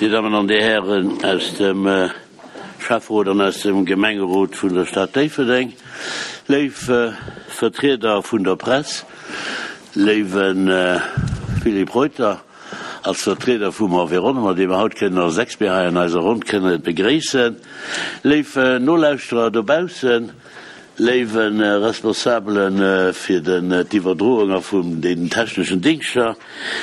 Dir Dammen an Dir Hären aus dem Schäfferot an aus dem Gemengerot vun der Stad Déifferdeng, léif Vertrieder vun der Press, léiwe Philippe Reuter als Vertrieder vum Environnement, dee mer haut kënnen als Expert hei an eiser Ronn kënne begréissen, léif Nolauschterer dobaussen, Léiwe Responsabele fir d'Iwwerdroung a vun den techneschen Dingschter,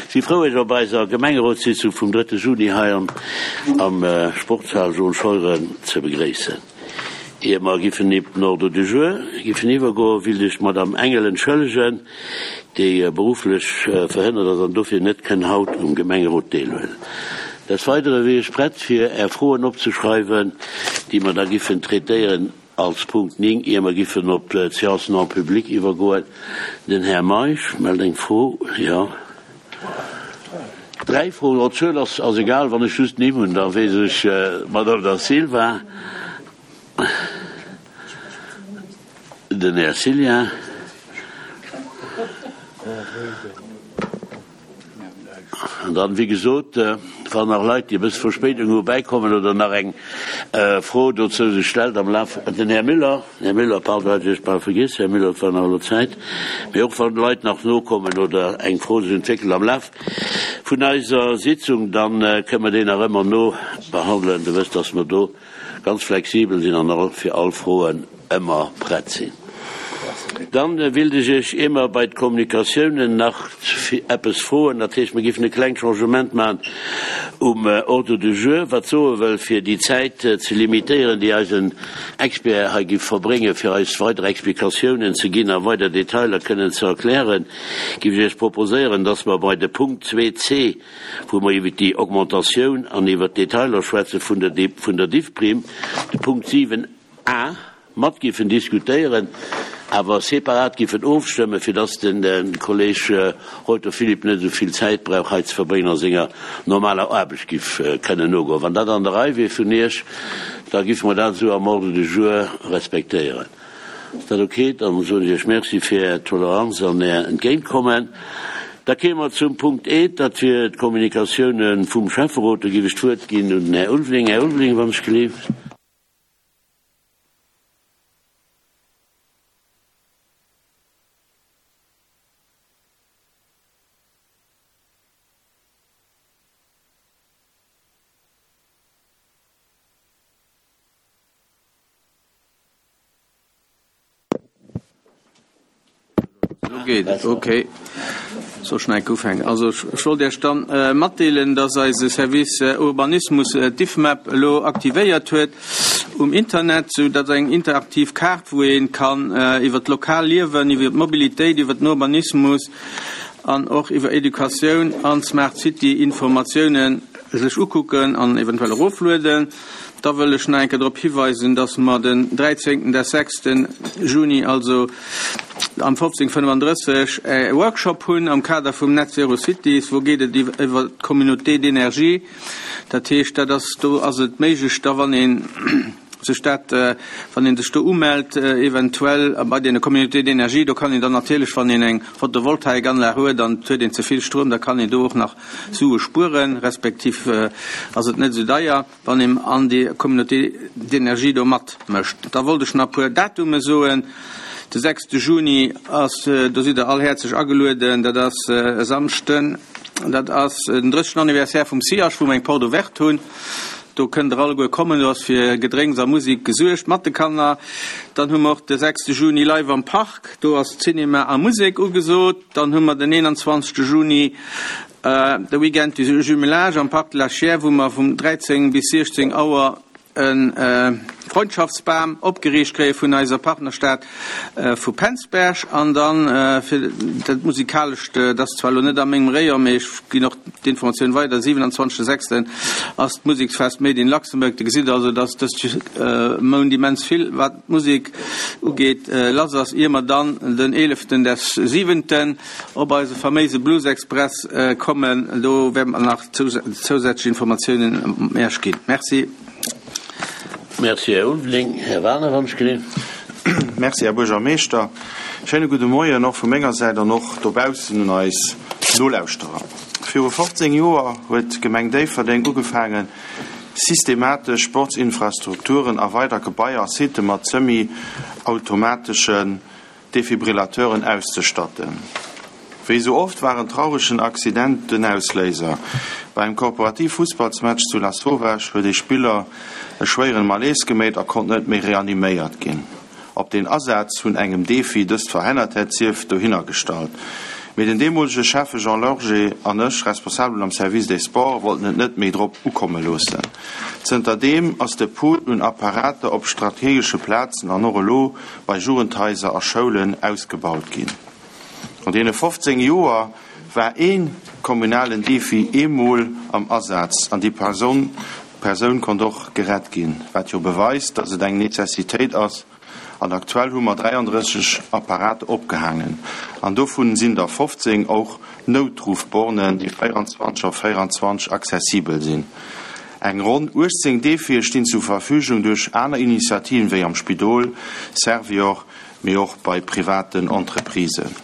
si frou Iech op eiser Gemengerotssitzung vum drëtte Juni hei am Sportshal Jules Scheuren ze begréissen. Ier mer giffen op den Ordre du jour giffen iwwergoen, willt ech d'Madame Engel entschëllegen, déi berufflech verhënnert ass an dofir net kënn haut um Gemengerot deelhuelen. Des Weidere wier ech prett fir Är Froen opzeschreiwen, déi mer da giffen traitéieren. Als Punkt 9, ier mer giffen op d'Séance non publique iwwergoen, den Här Meisch mellt eng Fro. Jo, dräi Froen. Oh, d'Zuel ass egal, wann ech just d'Nimm hunn, da weess ech. D'Madame Da Silva, den Här Cillien. An dann, wéi gesot, wann nach Leit, déi e bësse Verspéidung hu, bäikommen oder nach eng Fro dozou sech stellt am Laf, den Här Müller, Här Müller, pardon, hat ech Iech bal vergiess, Här Müller, et war nach elo Zäit, mee och wann Leit nach nokommen oder eng Fro sech entwéckelt am Laf vun eiser Sitzung, da kënnen mer déi nach ëmmer nobehandelen. Der wësst, dass mer do ganz flexibel sinn an och fir all Froen ëmmer prett sinn. Dann willt ech Iech, ier mer bei d'Kommunikatiounen nach eppes froen, dat heescht, mer géifen e klengt Changement maachen um Ordre du jour, wat soe wëll, fir déi Zäit ze limitéieren, déi eisen Expert hei giff verbréngen, fir eis weider Explikatiounen ze ginn a weider Detailer kënnen ze erklären, giff ech Iech proposéieren, dass mer bei de Punkt 2c, wou mer iwwer déi Augmentatioun an iwwer d'Detailer schwätze vun der vun der Diffprime, de Punkt 7 a mat giffen diskutéieren, awer separat giffen ofstëmmen, fir dass de Kolleg Reuter Philippe net esou vill Zäit brauch hei ze verbréngen a senger normaler Aarbecht giff kënnen nogoen. Wann dat an der Rei wier vun Iech, da giffe mer dat esou am Ordre du jour respektéieren. Ass dat ok? Dann soen ech Iech Merci fir Är Toleranz an Är Entgéintkommen. Da kéime mer zum Punkt E, dat wier d'Kommunikatioune vum Schäfferot. Do géif ech d'Wuert ginn un den Här Ulveling. Här Ulveling, wann ech gelift. Elo geet et, ok. Soll ech nach eng Kéier ufänken? Also ech wollt Iech dann matdeelen, dass eise Service Urbanismus d'Diffmap elo aktivéiert huet um Internet, sou datt eng interaktiv Kaart, wou ee kann iwwer d'lokal Liewen, iwwer d'Mobilitéit, iwwer den Urbanismus an och iwwer Educatioun an Smart City Informatiounen sech ukucken an eventuell eroflueden. Da wëll ech nach eng Kéier drop hiweisen, dass mer den dräizéngten des sechsten Juni, also am 15.35, e Workshop hunn am Kader vum Net Zero Cities. Wou geet et iwwer d'Communauté d'énergie. Dat heescht, dat ass, do ass et méiglech da, wann ee sech dat, wann ee sech do umellt, eventuell bei deene Communautés d'énergie, do kann een dann natierlech, wann een eng Photovoltaikanlag huet an et huet een ze vill Stroum, da kann een do och nach Sue spueren, respektiv ass et net esou deier, wann een an déi Communauté d'énergie do matmécht. Da wollt ech nach e puer Datume soen. De sechste Juni ass, do sidd Der all häerzlech agelueden, dat ass e Samschden, dat ass den drëssegsten Anniversaire vum SIAJ, wou mer eng Porte ouverte hunn. Do kënnt Der alleguer kommen, do ass fir Gedrénks a Musek gesuergt mat de Kanner. Dann hu mer och de sechste Juni Live am Park, do ass Cinema a Musek ugesot. Dann hu mer den 21. Juni de Weekend du Jumelage am Parc de la Chiers, wou mer vum 13 bis 16 Auer e Freundschaftsbam opgeriicht kréie vun eiser Partnerstad vu Penzberg. An dann fir dat Musikalescht, dat ass zwar elo net a mengem Rayon, mee ech ginn och d'Informatioun weider, 27. sechsten ass d'Museksfest Made in Luxembourg. Dir gesitt also, dass dëst Mount immens vill, wat d'Musek ugeet, lass ass, ier mer dann den eeleften des siwenten op eise faméise Blues Express kommen. Do wäerte mer nach zousätzlech Informatiounen Iech ginn. Merci. Merci, Här Ulveling. Här Wagener, wann ech gelift. Merci, Här Buergermeeschter. Schéine gudde Moien och vu menger Säit an och dobaussen un eis Nolauschterer. Viru 15 Joer huet d'Gemeng Déifferdeng ugefaangen, systematesch Sportsinfrastrukturen a weider Gebaier a Sitte mat semi-automateschen Defibrillateuren auszestatten. Wéi sou oft war en trauregen Accident den Ausléiser. Bei engem Korporativ-Fussballsmatch zu Lasauvage huet ee Spiller e schwéieren Malaise geméit a konnt net méi reaniméiert ginn. Ob den Asaz vun engem Defi dëst verhennert hätt, sief dohinner gestallt. Mee den deemolege Schäffe Jean Lorgé an ech, Responsabelen am Service des Sports, wollten et net méi drop ukomme loossen. Zënter deem ass de Pool un Apparater op strategesche Plazen an och elo bei Jugendhaiser a Schoulen ausgebaut ginn. An deene 15 Joer war ee kommunalen Defi eemol am Asaz an déi Persoun konnt och gerett ginn, wat jo beweist, datt et eng Necessitéit ass. An aktuell hu mer 33 Apparate opgehaangen an dovun sinn der 15 och Noutruffbornen, déi 24 op 24 accessibel sinn. Eng ronn 18 Defie stinn zur Verfügung duerch aner Initiativen, wéi am Spidol, Servior, mee och bei privaten Entreprisen.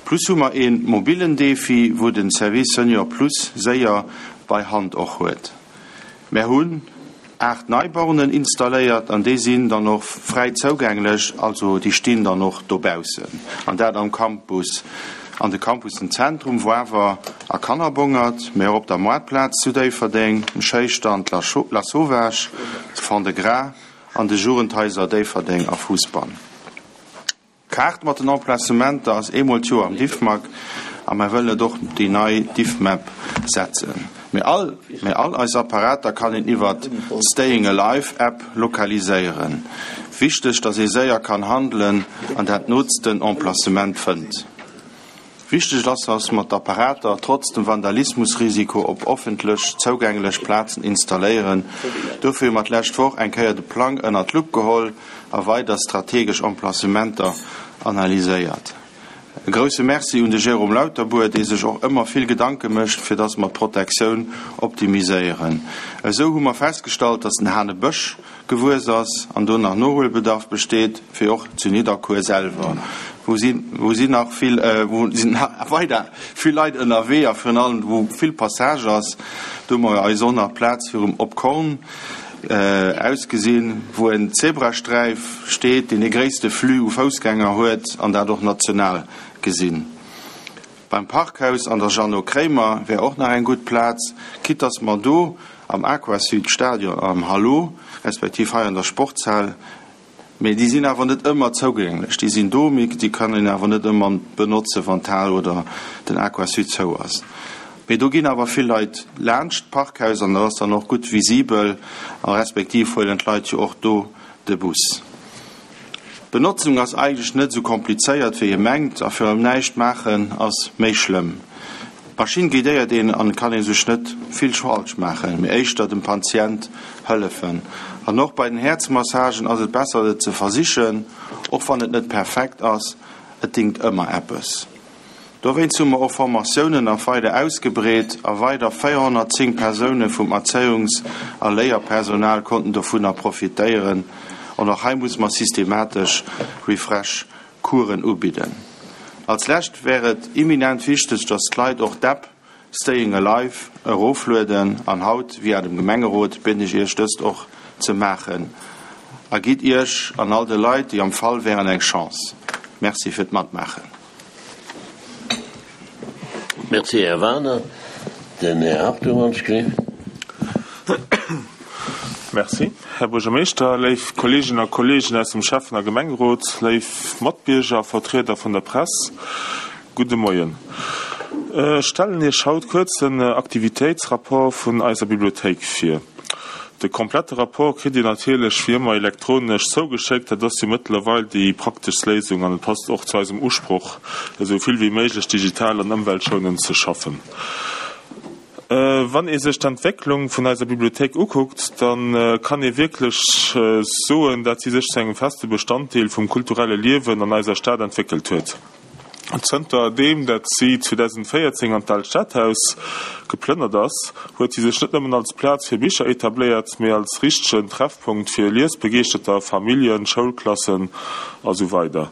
Plus hu mer ee mobilen Defi, wou den Service Senior Plus séier bei Hand och huet. Mär hunn 8 nei Bornen installéiert an déi sinn dann och fräi zougänglech, also déi stinn dann och dobaussen an dat am Campus, an de Campussen Zentrum, Woawer a Kannerbongert, mee och op der Moartplaz zu Déifferdeng, um Schéistand Lasauvage, zu Fond-de-Gras an de Jugendhaiser Déifferdeng a Fousbann. D'Kaart mat den Emplacementer ass eemol d'Joer am Diffmag a mer wëllen et och op déi nei Diffmap setzen. Mee all, mee all eis Apparater kann een iwwert d'Staying Alive App lokaliséieren. Wichteg, dass ee séier kann handelen an dat nootsten Emplacement fënnt. Wichteg ass, dass mer d'Apparater trotz dem Vandalismusrisiko op offentlech zougänglech Plazen installéieren. Dofir hu mer d'lescht Woch eng Kéier de Plang ënnert d'Lupp geholl a weider strategesch Emplacementer analyséiert. E grousse Merci un de Jérôme Lauterbour, dee sech och ëmmer vill Gedanke mécht, fir dass mer d'Protektioun optimiséieren. Esou hu mer festgestallt, dass den Hanebësch gewuess ass an do nach Nohuelbedarf besteet, wéi och zu Nidderkuer selwer, wou si wou si nach vill wou sinn weider vill Leit ënnerwee a virun allem wou vill Passage ass. Do hu mer eis och nach Plaz virum Op Korn ausgesinn, wou en Zebrasträif steet, deen dee gréisste Flux u Foussgänger huet an dat och national gesinn. Beim Parkhaus an der Jeannot Kremer wär och nach eng gutt Plaz, quitte dass mer do am Aquasud Stadion am Hallo, respektiv hei an der Sportshal, mee déi sinn awer net ëmmer zougänglech, déi sinn do, mee déi kann een awer net ëmmer benotzen, wann d'Hal oder den Aquasud zou ass. Mee do ginn awer vill Leit laanscht d'Parkhaus an dat ass dann och gutt visibel a respektiv huelen d'Leit jo och do de Bus. D'Benotzung ass eigentlech net esou komplizéiert wéi ee mengt a virun allem näischt maachen ass méi schlëmm. D'Maschinn guidéiert een an et kann ee sech net vill falsch maachen, mee éischter dem Patient hëllefen. An och bei den Häerzmassagen ass et besser et ze versichen, och wann et net perfekt ass, et dingt ëmmer eppes. Dowéinst hu mer och Formatiounen nach weider ausgebreet a weider 410 Persoune vum Erzéiungs a Léierpersonal konnten dovunner profitéieren. An och hei muss mer systematesch Refresh Coursen ubidden. Als lescht wär et imminent wichteg, dass d'Leit och d'App Staying Alive eroflueden an haut via dem Gemengerot bieden ech Iech dëst och ze maachen a gitt Iech an all de Leit déi am Fall wären eng Chance. Merci fir d'Matmaachen. Merci, Här Wagener. Den Här Hartung an d'Schrift. Merci, Här Buergermeeschter, léif Kolleeginnen a Kolleegen aus dem Schäffen a Gemengerot, léif Matbierger a Vertrieder vun der Press, gudde Moien. Ech stellen Iech haut kuerz den Aktivitéitsrapport vun eiser Bibliothéik vir. De komplette Rapport kritt Dir natierlech wéi ëmmer elektronesch zougeschéckt. Dat ass jo mëttlerweil déi prakteschst Léisung an et passt och zu eisem Usproch, esou vill wéi méiglech digital an ëmweltschounend ze schaffen. Wann ee sech d'Entwécklung vun eiser Bibliothéik ukuckt, da kann ee wierklech soen, dat si sech zu engem feste Bestanddeel vum kulturelle Liewen an eiser Stad entwéckelt huet. Zënter deem dat si 2014 an d'Aalt Stadhaus geplënnert ass, huet si sech net nëmmen als Plaz fir Bicher etabléiert, mee als richtegen Treffpunkt fir Liesbegeeschterter, Familljen, Schoulklassen a sou weider.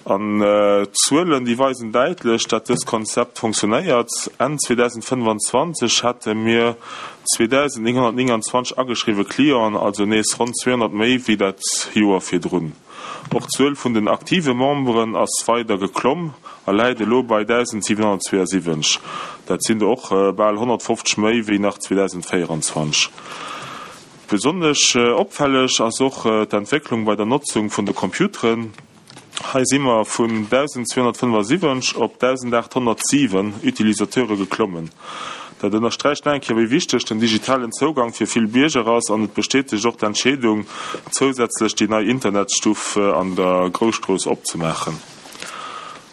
An d'Zuelen, déi weisen däitlech, dat dëst Konzept funktionéiert. Enn 2025 hate mir 2.929 ageschriwwe Clienten, also nees ronn 200 méi wéi dat Joer virdrun. Och d'Zuel vun den aktive Memberen ass weider geklomm a läit elo bei 1.772. Dat sinn der och bal 150 méi wéi nach 2024. Besonnesch opfälleg ass och d'Entwécklung bei der Notzung vun de Computeren. Hei si mer vun 1.275 op 1.807 Utilisateure geklommen. Dat ënnersträicht nach eng Kéier, wéi wichteg den digitalen Zougang fir vill Bierger ass an et bestätegt och d'Entscheedung, zousätzlech déi nei Internetstuff an der Grousstrooss opzemaachen.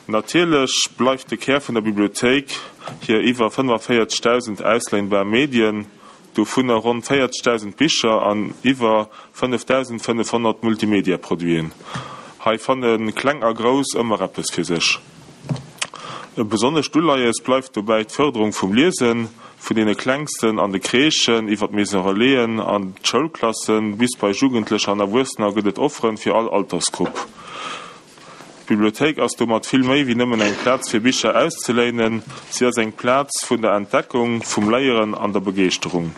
Natierlech bleift de Kär vun der Bibliothéik hir iwwer 45.000 ausléinbar Medien, dovunner ronn 40.000 Bicher an iwwer 5.500 Multimedia-Produiten. Hei fanne Kleng a Grouss ëmmer eppes fir sech. E besonnescht Uleies bleift dobäi d'Fërderung vum Liesen, vun deene Klengsten an de Crèchen iwwer d'Maison Relaisen an d'Schoulklassen bis bei Jugendlecher an Erwuessener gëtt et Offeren fir all Altersgrupp. D'Bibliothéik ass domat vill méi wéi nëmmen eng Plaz fir Bicher auszeléinen, si ass eng Plaz vun der Entdeckung, vum Léieren an der Begeeschterung.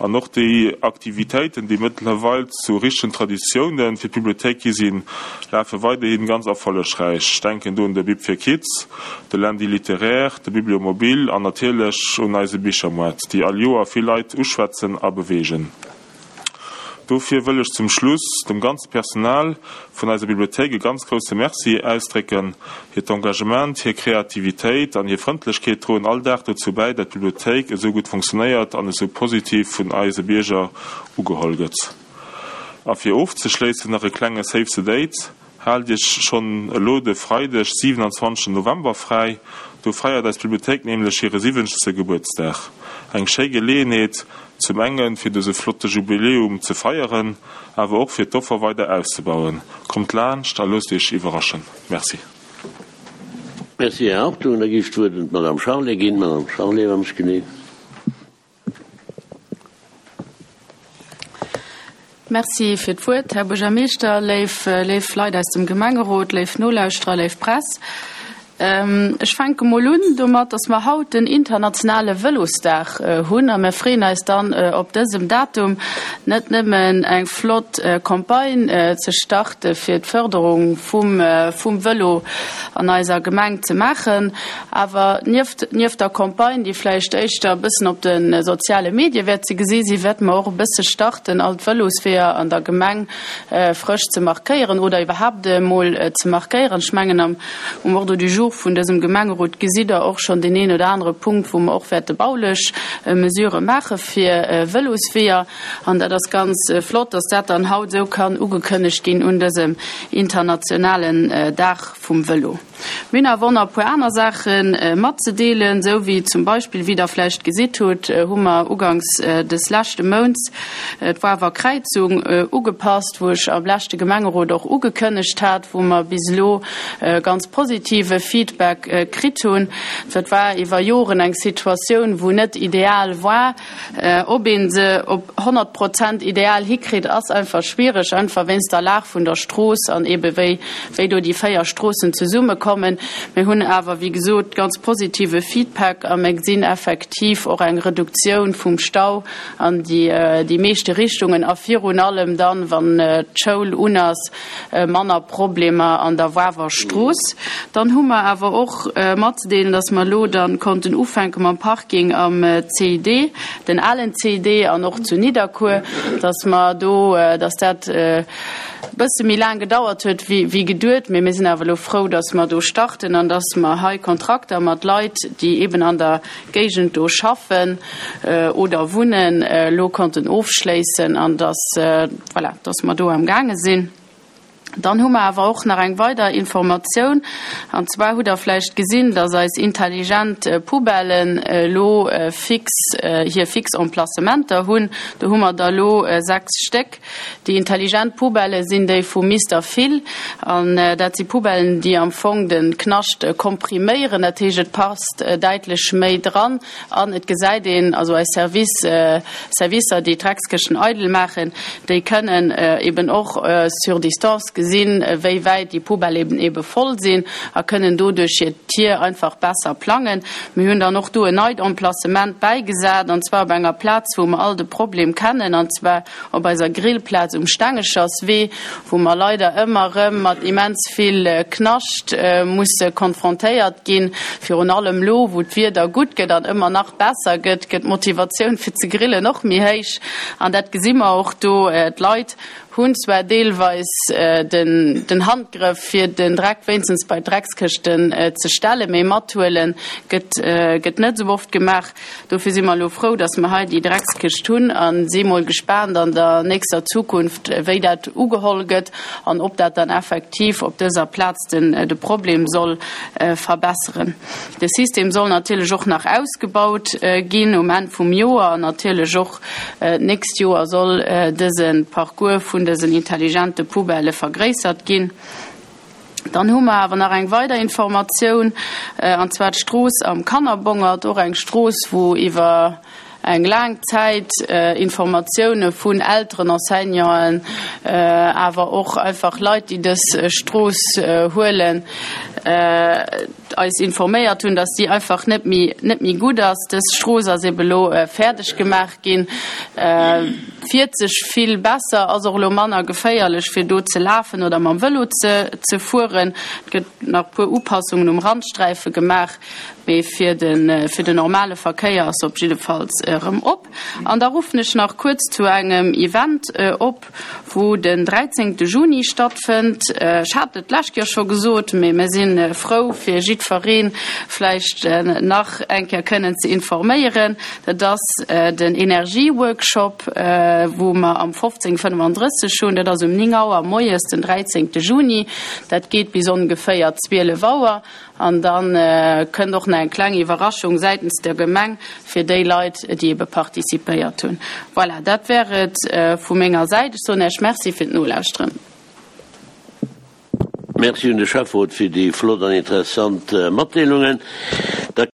An och déi Aktivitéiten, déi mëttlerweil zu richtegen Traditioune fir d'Bibliothéik gi sinn, lafe weiderhi ganz erfollegräich. Ech denken do un de Bib fir Kids, de Lundi littéraire, de Bibliomobile an natierlech un eise Bichermoart, déi all Joer vill Leit uschwätzen a beweegen. Dofir wëll ech zum Schluss dem ganze Personal vun eiser Bibliothéik e ganz grousse Merci ausdrécken. Hiert Engagement, hir Kreativitéit an hir Frëndlechkeet droen all Dag dozou bäi, dat d'Bibliothéik esou gutt funktionéiert an esou positiv vun eise Bierger ugeholl gëtt. A fir ofzeschléissen nach e klenge Save the Date, Haalt Iech schonn elo de Freideg, 27 November fräi, do feiert eis Bibliothéik nämlech hire siwwenzegste Gebuertsdag. Eng schéi Geleeënheet, zum enge fir dëse flotte Jubiläum ze feieren, awer och fir d'Offer weider auszebauen. Kommt laanscht a loosst Iech iwwerraschen. Merci. Merci, Här Hartung. Da géif ech d'Wuert un d'Madame Charlé ginn. Madame Charlé, wann ech genee. Merci fir d'Wuert, Här Buergermeeschter, léif, léif Leit aus dem Gemengerot, léif Nolauschterer, léif Press. Ech fänke mol un domat, dass mer haut den internationale Vëlosdag hunn a mir freeën eis dann op dësem Datum net nëmmen eng flott Campagne ze starte fir d'Förderung vum, vum Vëlo an eiser Gemeng ze maachen, Awer nieft nieft der Campagne, déi vläicht éischter e bëssen op de soziale Medie wäert ze gesi sinn, wäerte mer och e bësse starten, all d'Vëlosweeër an der Gemeng frësch ze markéieren oder iwwerhaapt emol ze markéieren. Ech mengen, am um Ordre du jour vun dësem Gemengerot gesitt Der och schonn deen een oder anere Punkt, wou mer och wäerte baulech Mesurë maache fir Vëlosweeër. An dat ass ganz flott, dass dat dann haut esou kann ugekënnegt ginn un dësem internationalen Dag vum Vëlo. Mir hunn awer och nach e puer aner Saache matzedeelen, esou wéi zum Beispill, wéi Der vläicht gesitt hutt, hu mer uganks des leschte Mounts d'Wawer Kräizung ugepasst, wou ech am leschte Gemengerot och ugekënnegt hat, wou mer bis elo ganz positive Feedback kritt hunn. Dat war iwwer Joren eng Situatioun, wou net ideal war. Ob een se op 100 Prozent ideal hikritt, ass einfach schwiereg, einfach wéinst der Lag vun der Strooss an ebe wéi wéi do déi 4 Stroossen zesummekommen. Mir hunn awer, wéi gesot, ganz positive Feedback a mir gesinn effektiv och eng Reduktioun vum Stau an déi déi meeschte Richtungen a virun allem dann, wann d'Schoul un ass, manner Problemer an der Wawer Strooss. Dann hu mer awer och matzedeelen, dass mer elo dann konnten ufänke mam Parking am CID, den alen CID an och zu Nidderkuer, dass mer do, dass dat e bësse méi laang gedauert huet wéi geduet, mee mir sinn awer elo frou, dass mer do starten an dass mer hei Kontrakter mat Leit, déi eben an der Géigend do schaffen oder wunnen, elo konnten ofschléissen an dass, voilà, dass mer do am gaange sinn. Dann hu mer awer och nach eng weider Informatioun, an zwar hutt Der vläicht gesinn, dass eis intelligent Poubellen elo fix hir fix Emplacementer hunn. Do hu mer der elo 6 Stéck. Déi intelligent Poubellë sinn déi vu Mister Phil an dat si Poubellen, déi am Fong de Knascht kompriméieren. Dat heescht, et passt däitlech méi dran an et gesäit een, also eis Service, Servicer, déi d'Dreckskëschten eidel maachen, déi kënnen eben och sur distance gesinn. gesinn, wéi wäit déi Poubelle ebe voll sinn a kënnen doduerch hir Tier einfach besser plangen. Mir hunn dann och do en neit Emplacement bäigesat, an zwar op enger Plaz, wou mer all de Problem kennen, an zwar op eiser Grillplaz um Stengecherswee, wou mer leider ëmmer erëm mat immens vill Knascht musse konfrontéiert ginn. Virun allem elo, wou d'Wieder gutt gëtt an ëmmer nach besser gëtt, gëtt d'Motivatioun fir ze grillen och méi héich. An dat gesi mer och do, D'Leit hunn zwar deelweis den Handgrëff fir den Dreck wéinstens bei d'Dreckskëschten ze stellen, mee mathuelen gëtt net esou oft gemaach. Dofir si mer elo frou, dass mer hei déi Dreckskëscht hunn a si mol gespaant an der nächster Zukunft, wéi dat ugeholl gëtt an ob dat dann effektiv op dëser Plaz de Problem soll verbesseren. De System soll natierlech och nach ausgebaut ginn um Enn vum Joer an natierlech och D'nächst Joer soll dëse Parcours vun dësen intelligente Poubellë vergréissert ginn. Dann hu mer awer nach eng weider Informatioun, an zwar d'Strooss am Kannerbongert, och eng Strooss, wou iwwer eng laang Zäit Informatioune vun Elteren, Enseignanten, awer och einfach Leit, déi dës Strooss huelen, eis informéiert hunn, dass déi einfach net méi, net méi gutt ass. Dës Strooss ass ebe lo fäerdeg gemaach ginn, fiert sech vill besser, ass och elo manner geféierlech fir do ze lafen oder mam Vëlo ze, ze fueren. Et gëtt nach e puer Upassungen um Randsträife gemaach, mee fir de, fir den normale Verkéier ass se op jiddefalls erëm op. An da ruffen ech nach kuerz zu engem Event op, wou den 13 Juni stattfënnt. Ech hat et d'lescht Joer scho gesot, mee mir si frou fir jiddferee vläicht nach eng Kéier kënnen ze informéieren. Dat ass den Energieworkshop, wou mer am 15:35 hunn. Dat ass um 9 Auer moies den 13 Juni. Dat geet bis ongeféier 12 Auer. An da kënnt och nach eng kleng Iwwerraschung säitens der Gemeng fir déi Leit, déi ebe participéiert hunn. Voilà, dat wär et vu menger Säit. Ech soen Iech Merci fir d'Nolauschteren. Merci un de Schäfferot fir déi flott an interessant Matdeelungen.